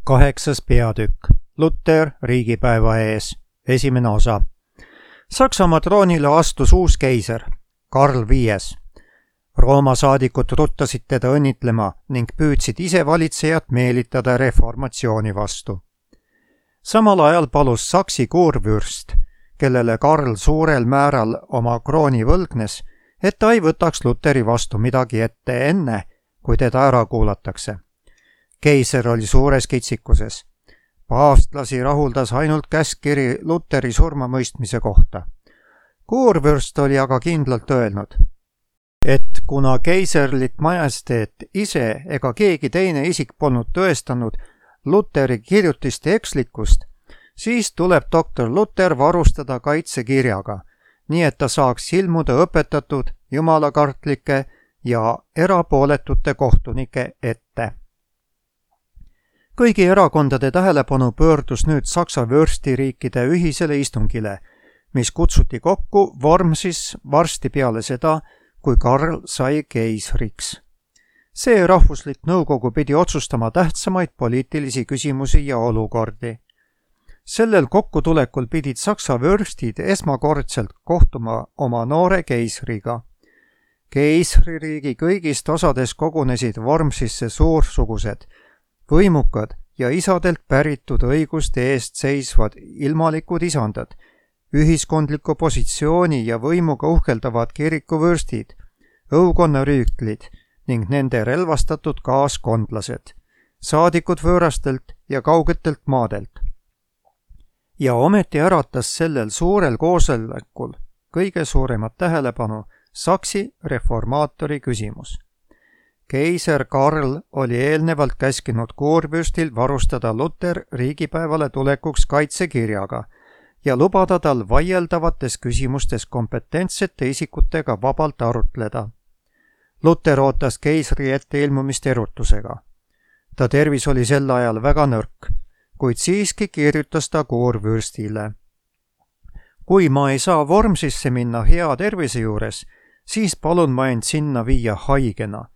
8. peatükk. Luther riigipäeva ees. 1. osa. Saksamaa troonile astus uus keiser, Karl V. Rooma saadikud ruttasid teda õnnitlema ning püüdsid ise valitsejat meelitada reformatsiooni vastu. Samal ajal palus Saksi kurvürst, kellele Karl suurel määral oma krooni võlgnes, et ta ei võtaks Lutheri vastu midagi ette enne, kui teda ära kuulatakse. Keiser oli suures kitsikuses. Paavstlasi rahuldas ainult käskkiri Lutheri surmamõistmise kohta. Kurvürst oli aga kindlalt öelnud, et kuna keiserlik majesteet ise ega keegi teine isik polnud tõestanud Lutheri kirjutiste ekslikkust, siis tuleb doktor Luther varustada kaitsekirjaga, nii et ta saaks ilmuda õpetatud, jumalakartlike ja erapooletute kohtunike ette. Kõigi erakondade tähelepanu pöördus nüüd Saksa vürstiriikide ühisele istungile, mis kutsuti kokku Wormsis varsti peale seda, kui Karl sai keisriks. See rahvuslik nõukogu pidi otsustama tähtsamaid poliitilisi küsimusi ja olukordi. Sellel kokkutulekul pidid Saksa vürstid esmakordselt kohtuma oma noore keisriga. Keisririigi kõigist osades kogunesid Wormsisse suursugused, võimukad ja isadelt päritud õiguste eest seisvad ilmalikud isandad, ühiskondliku positsiooni ja võimuga uhkeldavad kirikuvürstid, õukonnarüütlid ning nende relvastatud kaaskondlased, saadikud võõrastelt ja kaugetelt maadelt. Ja ometi äratas sellel suurel koosolekul kõige suuremat tähelepanu Saksi reformaatori küsimus. Keiser Karl oli eelnevalt käskinud kurvürstil varustada Luther riigipäevale tulekuks kaitsekirjaga ja lubada tal vaieldavates küsimustes kompetentsete isikutega vabalt arutleda. Luther ootas keisri ette ilmumist erutusega. Ta tervis oli sel ajal väga nõrk, kuid siiski kirjutas ta kurvürstile. Kui ma ei saa Wormsisse minna hea tervise juures, siis palun ma end sinna viia haigena.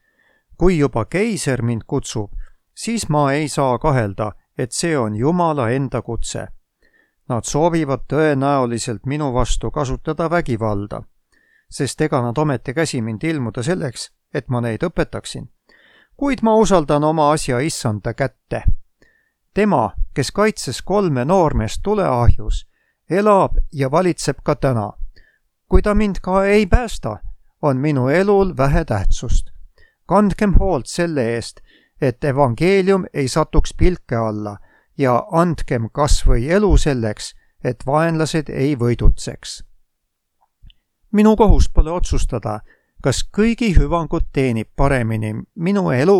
Kui juba keiser mind kutsub, siis ma ei saa kahelda, et see on Jumala enda kutse. Nad soovivad tõenäoliselt minu vastu kasutada vägivalda, sest ega nad ometi käsi mind ilmuda selleks, et ma neid õpetaksin. Kuid ma usaldan oma asja issanda kätte. Tema, kes kaitses 3 noormeest tuleahjus, elab ja valitseb ka täna. Kui ta mind ka ei päästa, on minu elul vähe tähtsust. Kandkem hoolt selle eest, et evangeelium ei satuks pilke alla ja andkem kas või elu selleks, et vaenlased ei võidutseks. Minu kohus pole otsustada, kas kõigi hüvangut teenib paremini minu elu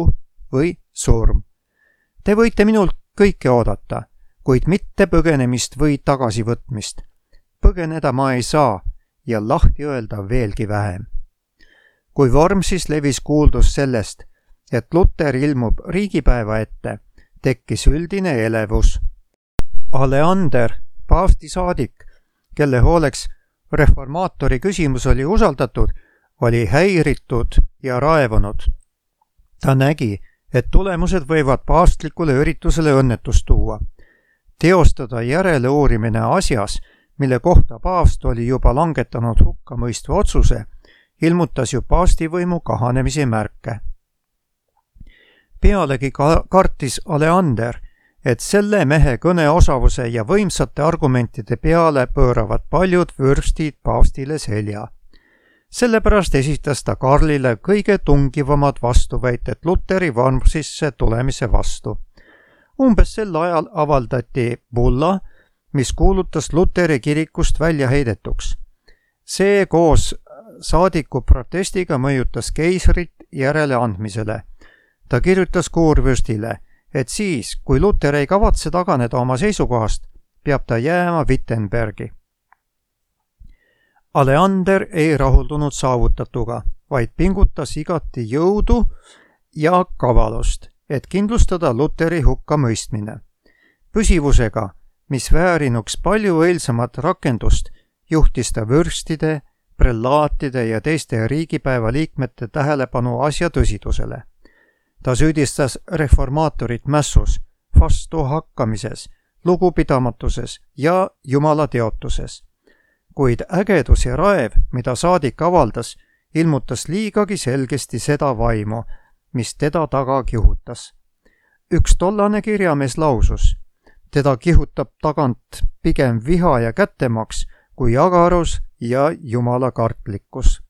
või surm. Te võite minult kõike oodata, kuid mitte põgenemist või tagasivõtmist. Põgeneda ma ei saa ja lahti öelda veelgi vähem. Kui Wormsis levis kuuldus sellest, et Luther ilmub riigipäeva ette, tekkis üldine elevus. Aleander, paavsti saadik, kelle hooleks reformaatori küsimus oli usaldatud, oli häiritud ja raevunud. Ta nägi, et tulemused võivad paavstlikule üritusele õnnetust tuua. Teostada järeleuurimine asjas, mille kohta paavst oli juba langetanud hukkamõistva otsuse, ilmutas ju paavstivõimu kahanemise märke. Pealegi kartis Aleander, et selle mehe kõneosavuse ja võimsate argumentide peale pööravad paljud vürstid paavstile selja. Sellepärast esitas ta Karlile kõige tungivamad vastuväited Lutheri Wormsisse tulemise vastu. Umbes sel ajal avaldati bulla, mis kuulutas Lutheri kirikust välja heidetuks. See koos saadiku protestiga mõjutas keisrit järeleandmisele. Ta kirjutas kurvürstile, et siis, kui Luther ei kavatse taganeda oma seisukohast, peab ta jääma Wittenbergi. Aleander ei rahuldunud saavutatuga, vaid pingutas igati jõudu ja kavalust, et kindlustada Lutheri hukkamõistmine. Püsivusega, mis väärinuks palju õilsamat rakendust, juhtis ta vürstide, prelaatide ja teiste riigipäeva liikmete tähelepanu asja tõsidusele. Ta süüdistas reformaatorit mässus, vastuhakkamises, lugupidamatuses ja Jumala teotuses. Kuid ägedus ja raev, mida saadik avaldas, ilmutas liigagi selgesti seda vaimu, mis teda taga kihutas. Üks tollane kirjamees lausus, teda kihutab tagant pigem viha ja kättemaks kui agarus ja Jumala kartlikkus.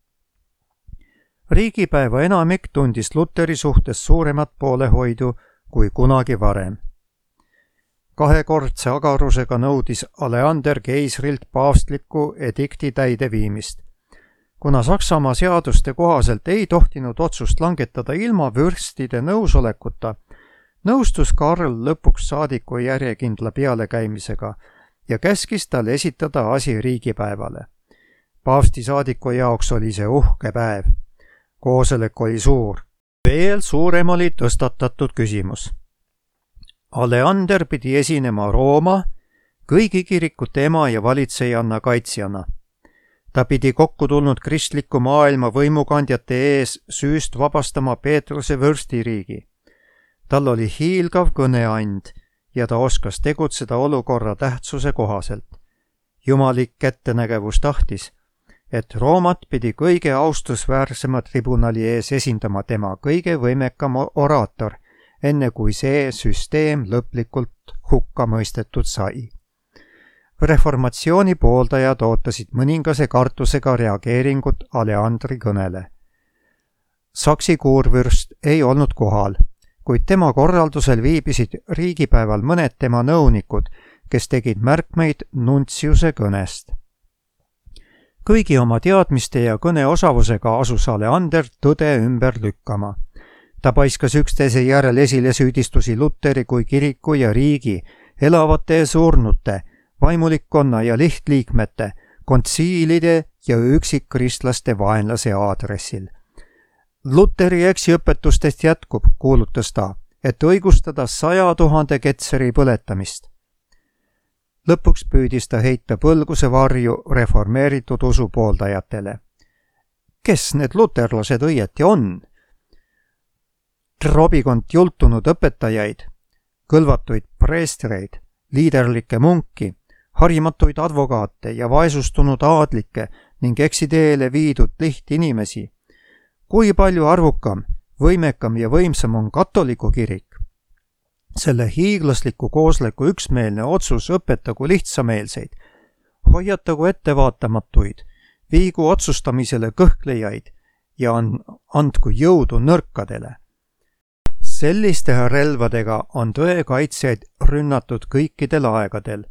Riigipäeva enamik tundis Luteri suhtes suuremat poolehoidu kui kunagi varem. Kahekordse agarusega nõudis Aleander keisrilt paavstliku edikti täideviimist. Kuna Saksamaa seaduste kohaselt ei tohtinud otsust langetada ilma vürstide nõusolekuta, nõustus Karl lõpuks saadiku järjekindla pealekäimisega ja käskis tal esitada asi riigipäevale. Paavsti saadiku jaoks oli see uhke päev. Koosolek oli suur. Veel suurem oli tõstatatud küsimus. Aleander pidi esinema Rooma, kõigi kirikute ema ja valitsejanna kaitsjana. Ta pidi kokku tulnud kristliku maailma võimukandjate ees süüst vabastama Peetruse vürstiriigi. Tal oli hiilgav kõneand ja ta oskas tegutseda olukorra tähtsuse kohaselt. Jumalik ettenägevus tahtis, et Roomat pidi kõige austusväärsema tribunali ees esindama tema kõige võimekam oraator, enne kui see süsteem lõplikult hukka mõistetud sai. Reformatsiooni pooldajad ootasid mõningase kartusega reageeringut Aleandri kõnele. Saksi kuurvürst ei olnud kohal, kuid tema korraldusel viibisid riigipäeval mõned tema nõunikud, kes tegid märkmeid nuntsiuse kõnest. Kõigi oma teadmiste ja kõneosavusega asus Aleander tõde ümber lükkama. Ta paiskas üksteise järel esile süüdistusi Luteri kui kiriku ja riigi, elavate ja surnute, vaimulikkonna ja lihtliikmete, kontsiilide ja üksikkristlaste vaenlase aadressil. Luteri eksiõpetustest jätkub, kuulutas ta, et õigustada 100 000 ketseri põletamist. Lõpuks püüdis ta heita põlguse varju reformeeritud usu pooldajatele. Kes need luterlased õieti on? Trobikond jultunud õpetajaid, kõlvatuid preestreid, liiderlikke munki, harimatuid advokaate ja vaesustunud aadlikke ning eksiteele viidud lihtinimesi. Kui palju arvukam, võimekam ja võimsam on katoliku kirik? Selle hiiglasliku koosleku üksmeelne otsus õpetagu lihtsameelseid, hoiatagu ettevaatamatuid, viigu otsustamisele kõhklejaid ja andku jõudu nõrkadele. Selliste relvadega on tõe kaitsjaid rünnatud kõikidel aegadel.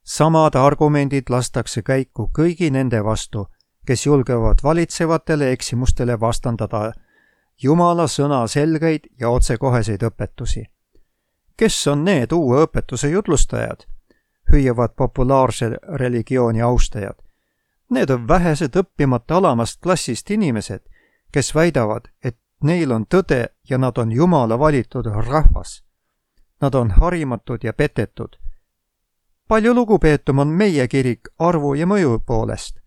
Samad argumendid lastakse käiku kõigi nende vastu, kes julgevad valitsevatele eksimustele vastandada Jumala sõna selgeid ja otsekoheseid õpetusi. Kes on need uue õpetuse jutlustajad? Hüüavad populaarse religiooni austajad. Need on vähesed õppimata alamast klassist inimesed, kes väidavad, et neil on tõde ja nad on Jumala valitud rahvas. Nad on harimatud ja petetud. Palju lugupeetum on meie kirik arvu ja mõju poolest.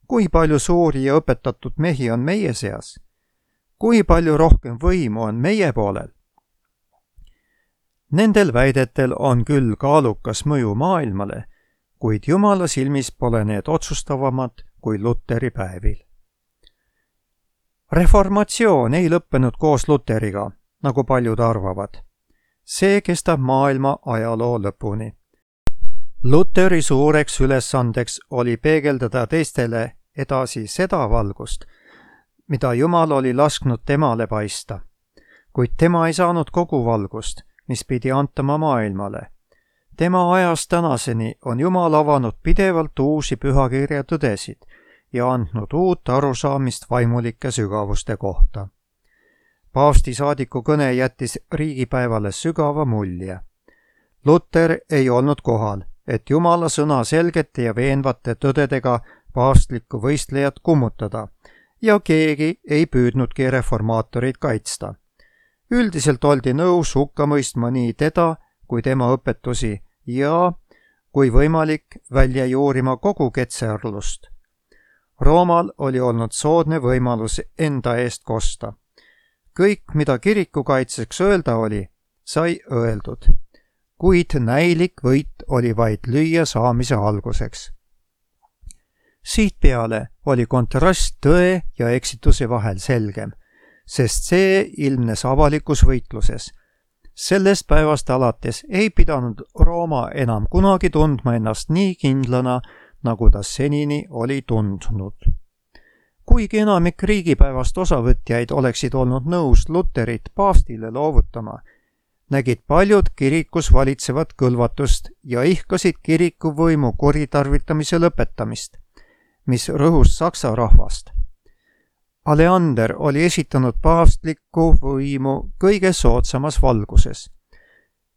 Kui palju suuri ja õpetatud mehi on meie seas? Kui palju rohkem võimu on meie poolel? Nendel väidetel on küll kaalukas mõju maailmale, kuid Jumala silmis pole need otsustavamad kui Luteri päevil. Reformatsioon ei lõppenud koos Luteriga, nagu paljud arvavad. See kestab maailma ajaloo lõpuni. Luteri suureks ülesandeks oli peegeldada teistele edasi seda valgust, mida Jumal oli lasknud temale paista, kuid tema ei saanud kogu valgust, mis pidi antama maailmale. Tema ajast tänaseni on Jumal avanud pidevalt uusi pühakirja tõdesid ja andnud uut arusaamist vaimulike sügavuste kohta. Paavsti saadiku kõne jättis riigipäevale sügava mulje. Luter ei olnud kohal, et Jumala sõna selgete ja veenvate tõdedega paavstlikku võistlejat kummutada ja keegi ei püüdnudki reformaatorid kaitsta. Üldiselt oldi nõus hukka mõistma nii teda kui tema õpetusi ja, kui võimalik, välja juurima kogu ketserlust. Roomal oli olnud soodne võimalus enda eest kosta. Kõik, mida kiriku kaitseks öelda oli, sai öeldud. kuid näilik võit oli vaid lüüa saamise alguseks. Siitpeale oli kontrast tõe ja eksituse vahel selgem, sest see ilmnes avalikus võitluses. Sellest päevast alates ei pidanud Rooma enam kunagi tundma ennast nii kindlana, nagu ta senini oli tundnud. Kuigi enamik riigipäevast osavõtjaid oleksid olnud nõus Luterit paavstile loovutama, nägid paljud kirikus valitsevat kõlvatust ja ihkasid kiriku võimu kuritarvitamise lõpetamist, mis rõhus saksa rahvast. Aleander oli esitanud paavstlikku võimu kõige soodsamas valguses.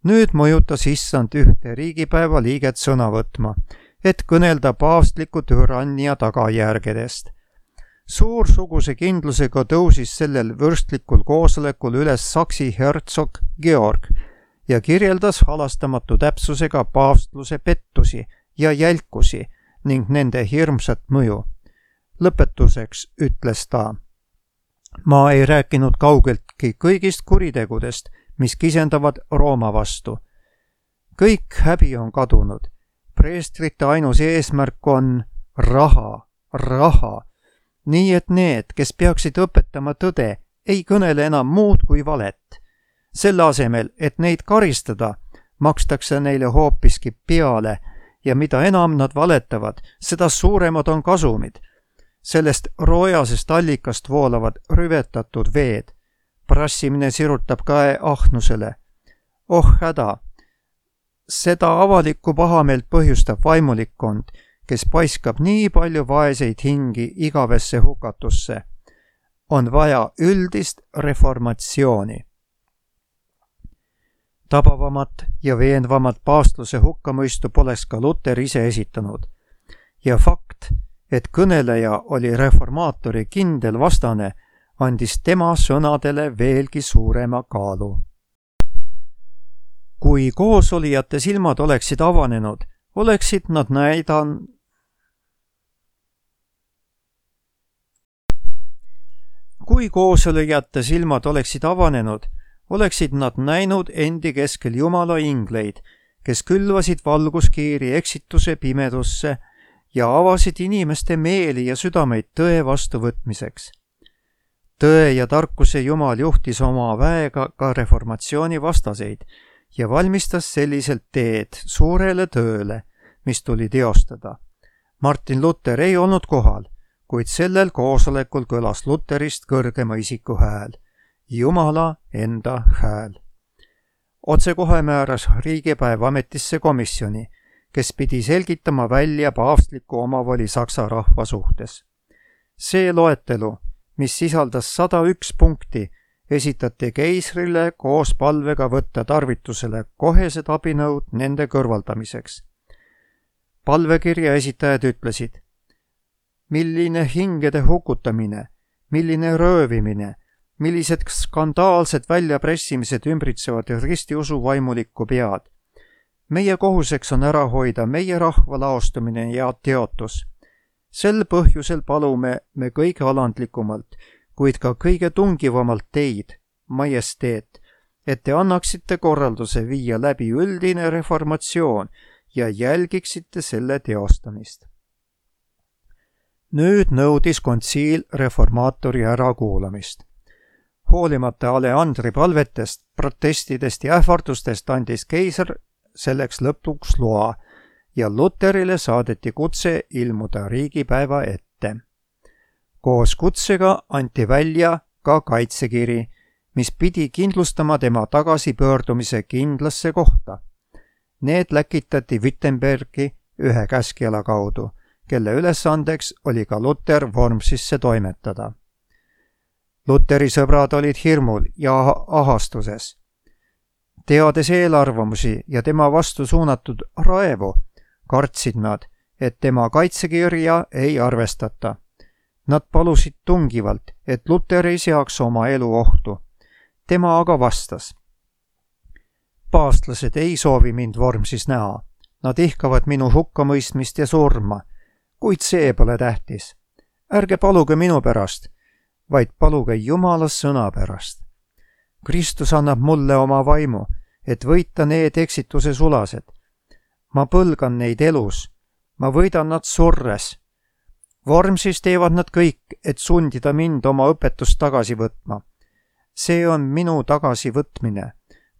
Nüüd mõjutas issand ühte riigipäeva liiget sõna võtma, et kõnelda paavstliku türannia tagajärgedest. Suursuguse kindlusega tõusis sellel vürstlikul koosolekul üles saksi hertsog Georg ja kirjeldas halastamatu täpsusega paavstluse pettusi ja jälkusi ning nende hirmsat mõju. Lõpetuseks ütles ta: ma ei rääkinud kaugeltki kõigist kuritegudest, mis kisendavad Rooma vastu. Kõik häbi on kadunud. Preestrite ainus eesmärk on raha. Nii et need, kes peaksid õpetama tõde, ei kõnele enam muud kui valet. Selle asemel, et neid karistada, makstakse neile hoopiski peale ja mida enam nad valetavad, seda suuremad on kasumid. Sellest roojasest allikast voolavad rüvetatud veed. Prassimine sirutab käe ahnusele. Oh häda! Seda avalikku pahameelt põhjustab vaimulikkond, kes paiskab nii palju vaeseid hingi igavesse hukatusse. On vaja üldist reformatsiooni. Tabavamat ja veenvamat paavstluse hukkamõistu poleks ka Luter ise esitanud. Ja fakt, et kõneleja oli reformaatori kindel vastane, andis tema sõnadele veelgi suurema kaalu. Kui koosolijate silmad oleksid avanenud, oleksid nad näinud endi keskel Jumala ingleid, kes külvasid valguskiiri eksituse pimedusse ja avasid inimeste meeli ja südameid tõe vastuvõtmiseks. Tõe ja tarkuse Jumal juhtis oma väega ka reformatsiooni vastaseid ja valmistas selliselt teed suurele tööle, mis tuli teostada. Martin Luther ei olnud kohal, kuid sellel koosolekul kõlas Luterist kõrgema isiku hääl, Jumala enda hääl. Otsekohe määras riigipäev ametisse komisjoni, kes pidi selgitama välja paavstliku omavoli saksa rahva suhtes. See loetelu, mis sisaldas 101 punkti, esitati keisrile koos palvega võtta tarvitusele kohesed abinõud nende kõrvaldamiseks. Palvekirja esitajad ütlesid: milline hingede hukutamine, milline röövimine, millised skandaalsed väljapressimised ümbritsevad ristiusu vaimulikku pead. Meie kohuseks on ära hoida meie rahva laostumine ja teotus. Sel põhjusel palume me kõige alandlikumalt, kuid ka kõige tungivamalt teid, majesteet, et te annaksite korralduse viia läbi üldine reformatsioon ja jälgiksite selle teostamist. Nüüd nõudis kontsiil reformaatori ärakuulamist. Hoolimata Aleandri palvetest, protestidest ja ähvardustest andis keiser selleks lõpuks loa ja Luterile saadeti kutse ilmuda riigipäeva ette. Koos kutsega anti välja ka kaitsekiri, mis pidi kindlustama tema tagasipöördumise kindlasse kohta. Need läkitati Wittenbergi ühe käskjala kaudu, kelle ülesandeks oli ka Luter Wormsisse toimetada. Luteri sõbrad olid hirmul ja ahastuses. Teades eelarvamusi ja tema vastu suunatud raevu, kartsid nad, et tema kaitsekirja ei arvestata. Nad palusid tungivalt, et Luter ei seaks oma elu ohtu. Tema aga vastas: paavstlased ei soovi mind Wormsis näha. Nad ihkavad minu hukkamõistmist ja surma, kuid see pole tähtis. Ärge paluge minu pärast, vaid paluge Jumala sõna pärast. Kristus annab mulle oma vaimu, et võita need eksituse sulased. Ma põlgan neid elus, ma võidan nad surres. Vormsis teevad nad kõik, et sundida mind oma õpetust tagasi võtma. See on minu tagasivõtmine.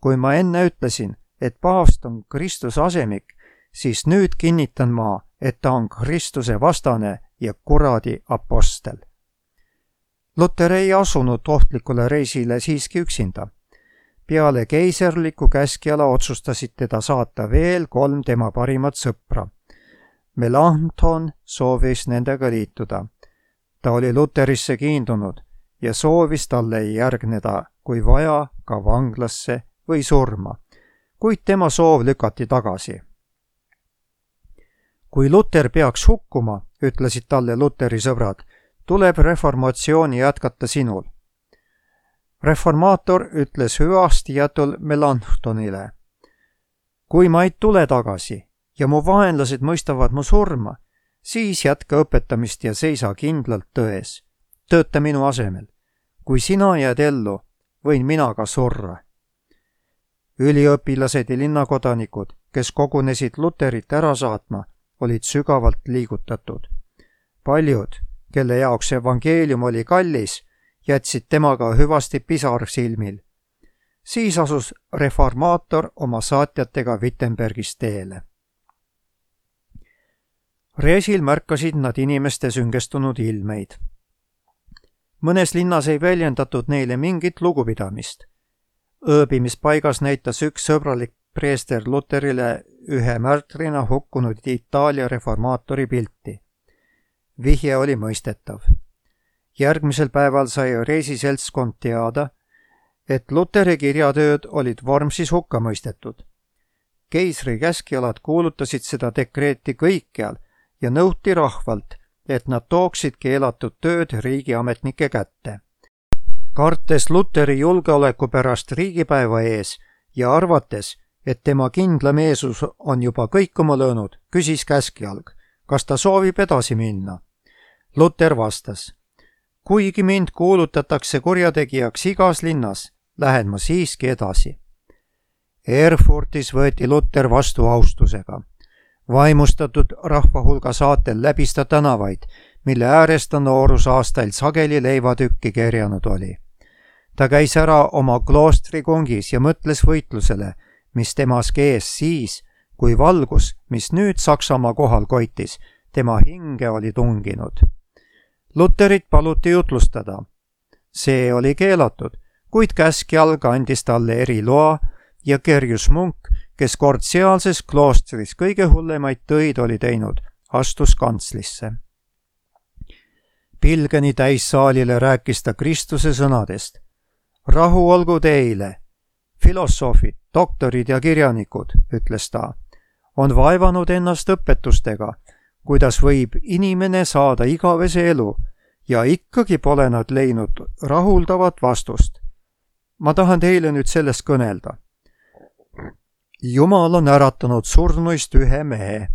Kui ma enne ütlesin, et paavst on Kristuse asemik, siis nüüd kinnitan ma, et ta on Kristuse vastane ja kuradi apostel. Luter ei asunud ohtlikule reisile siiski üksinda. Peale keiserliku käskjala otsustasid teda saata veel 3 tema parimat sõpra. Melanchthon soovis nendega liituda. Ta oli Luterisse kiindunud ja soovis talle järgneda, kui vaja, ka vanglasse või surma, kuid tema soov lükati tagasi. Kui Luter peaks hukkuma, ütlesid talle Luteri sõbrad, tuleb reformatsiooni jätkata sinul. Reformaator ütles hüvastijatul Melanchthonile: kui ma ei tule tagasi ja mu vaenlased mõistavad mu surma, siis jätka õpetamist ja seisa kindlalt tões. Tööta minu asemel. Kui sina jääd ellu, võin mina ka surra. Üliõpilased ja linnakodanikud, kes kogunesid Luterit ära saatma, olid sügavalt liigutatud. Paljud, kelle jaoks evangeelium oli kallis, jätsid temaga hüvasti pisar silmil. Siis asus reformaator oma saatjatega Wittenbergis teele. Reisil märkasid nad inimeste süngestunud ilmeid. Mõnes linnas ei väljendatud neile mingit lugupidamist. Ööbimispaigas näitas üks sõbralik preester Luterile ühe märtrina hukkunud Itaalia reformaatori pilti. Vihje oli mõistetav. Järgmisel päeval sai reisiseltskond teada, et Luteri kirjatööd olid Vormsis hukka mõistetud. Keisri käskjalad kuulutasid seda dekreeti kõikjal ja nõuti rahvalt, et nad tooksid keelatud tööd riigiametnike kätte. Kartes Luteri julgeoleku pärast riigipäeva ees ja arvates, et tema kindlameelsus on juba kõikuma löönud, küsis käskjalg, kas ta soovib edasi minna. Luter vastas: kuigi mind kuulutatakse kurjategijaks igas linnas, lähen ma siiski edasi. Erfurtis võeti Luter vastu austusega. Vaimustatud rahvahulga saatel läbis ta tänavaid, mille ääres ta noorusaastail sageli leivatükki kerjanud oli. Ta käis ära oma kloostri kongis ja mõtles võitlusele, mis temas kees siis, kui valgus, mis nüüd Saksamaa kohal koitis, tema hinge oli tunginud. Luterit paluti jutlustada. See oli keelatud, kuid käskjalg andis talle eriloa ja Gerjus Munk, kes kord sealses kloostris kõige hullemaid töid oli teinud, astus kantslisse. Pilgeni täissaalile rääkis ta Kristuse sõnadest. Rahu olgu teile, filosoofid, doktorid ja kirjanikud, ütles ta, on vaevanud ennast õpetustega, kuidas võib inimene saada igavese elu ja ikkagi pole nad leidnud rahuldavat vastust. Ma tahan teile nüüd sellest kõnelda. Jumal on äratanud surnuist ühe mehe,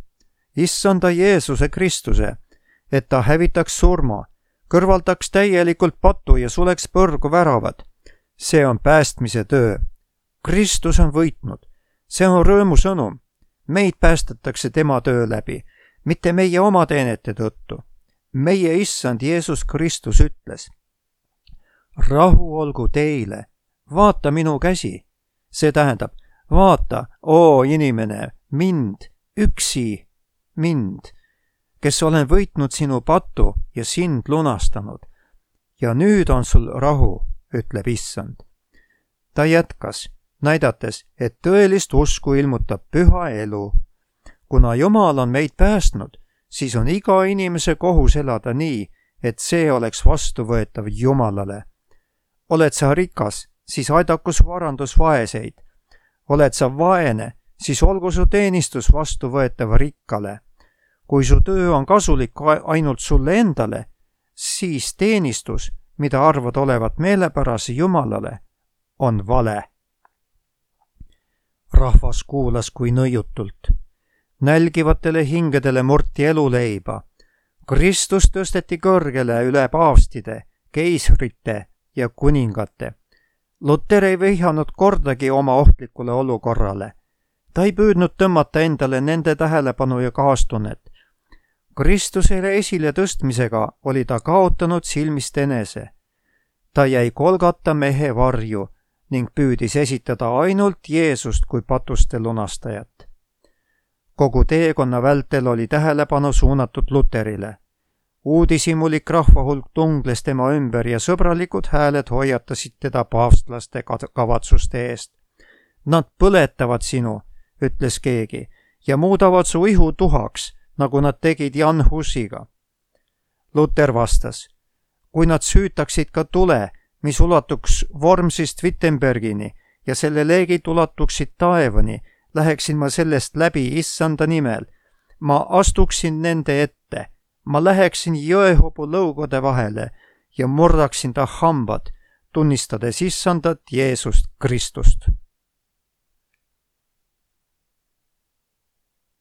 issanda Jeesuse Kristuse, et ta hävitaks surma, kõrvaldaks täielikult patu ja suleks põrgu väravad. See on päästmise töö. Kristus on võitnud. See on rõõmusõnum. Meid päästetakse tema töö läbi, mitte meie oma teenete tõttu. Meie issand Jeesus Kristus ütles: rahu olgu teile, vaata minu käsi. See tähendab, vaata, oo inimene, mind, üksi mind, kes olen võitnud sinu patu ja sind lunastanud. Ja nüüd on sul rahu, ütleb issand. Ta jätkas, näidates, et tõelist usku ilmutab püha elu. Kuna Jumal on meid päästnud, siis on iga inimese kohus elada nii, et see oleks vastuvõetav Jumalale. Oled sa rikas, siis aidaku su varandus vaeseid. Oled sa vaene, siis olgu su teenistus vastuvõetav rikkale. Kui su töö on kasulik ainult sulle endale, siis teenistus, mida arvad olevat meelepärase Jumalale, on vale. Rahvas kuulas kui nõiutult. Nälgivatele hingedele murti eluleiba. Kristus tõsteti kõrgele üle paavstide, keisrite ja kuningate. Luter ei vihjanud kordagi oma ohtlikule olukorrale. Ta ei püüdnud tõmmata endale nende tähelepanu ja kaastunnet. Kristusele esile tõstmisega oli ta kaotanud silmist enese. Ta jäi Golgata mehe varju ning püüdis esitada ainult Jeesust kui patuste lunastajat. Kogu teekonna vältel oli tähelepanu suunatud Luterile. Uudishimulik rahvahulk tungles tema ümber ja sõbralikud hääled hoiatasid teda paavstlaste kavatsuste eest. Nad põletavad sinu, ütles keegi, ja muudavad su ihu tuhaks, nagu nad tegid Jan Husiga. Luter vastas, kui nad süütaksid ka tule, mis ulatuks Wormsist Wittenbergini ja selle leegid ulatuksid taevani, läheksin ma sellest läbi issanda nimel. Ma astuksin nende ette. Ma läheksin jõehobu lõugode vahele ja murdaksin ta hambad, tunnistades issandat Jeesust Kristust.